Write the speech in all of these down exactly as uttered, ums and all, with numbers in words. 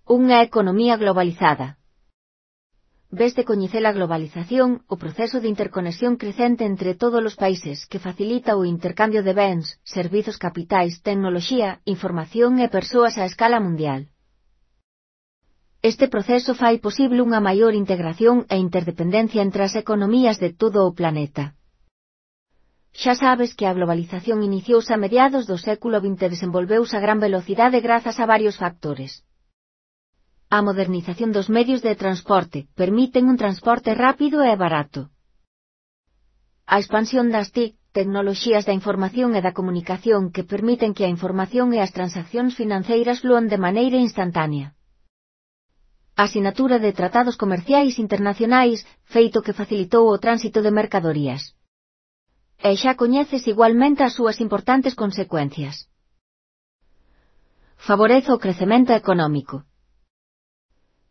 Unha economía globalizada. Ves de coñecer a globalización, o proceso de interconexión crecente entre todos os países que facilita o intercambio de bens, servizos capitais, tecnoloxía, información e persoas a escala mundial. Este proceso fai posible unha maior integración e interdependencia entre as economías de todo o planeta. Xa sabes que a globalización iniciouse a mediados do século vinte e desenvolveuse a gran velocidade grazas a varios factores. A modernización dos medios de transporte permiten un transporte rápido e barato. A expansión das T I C, tecnoloxías da información e da comunicación que permiten que a información e as transaccións financeiras flúan de maneira instantánea. A asinatura de tratados comerciais internacionais, feito que facilitou o tránsito de mercadorías. E xa coñeces igualmente as súas importantes consecuencias. Favorece o crecemento económico.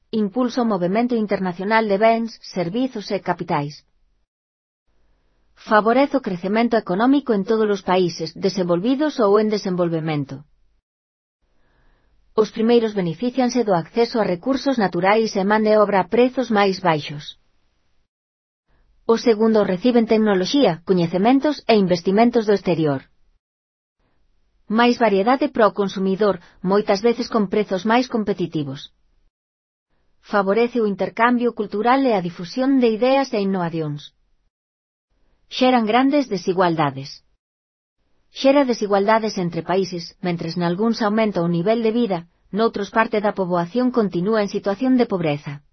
Impulsa o movemento internacional de bens, servizos e capitais. Favorece o crecemento económico en todos os países, desenvolvidos ou en desenvolvemento. Os primeiros beneficianse do acceso a recursos naturais e man de obra a prezos máis baixos. Os segundos reciben tecnoloxía, coñecementos e investimentos do exterior. Máis variedade para o consumidor, moitas veces con prezos máis competitivos. Favorece o intercambio cultural e a difusión de ideas e innovacións. Xeran grandes desigualdades. Xera desigualdades entre países, mentres nalgúns aumenta o nivel de vida, noutros parte da poboación continúa en situación de pobreza.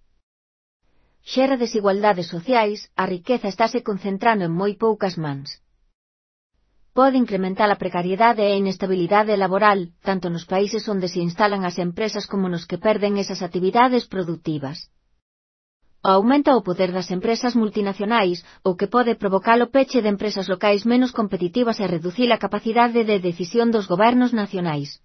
Xera desigualdades sociais, a riqueza estáse concentrando en moi poucas mans. Pode incrementar a precariedade e a inestabilidade laboral, tanto nos países onde se instalan as empresas como nos que perden esas actividades productivas. Aumenta o poder das empresas multinacionais, o que pode provocar o peche de empresas locais menos competitivas e reducir a capacidade de decisión dos gobernos nacionais.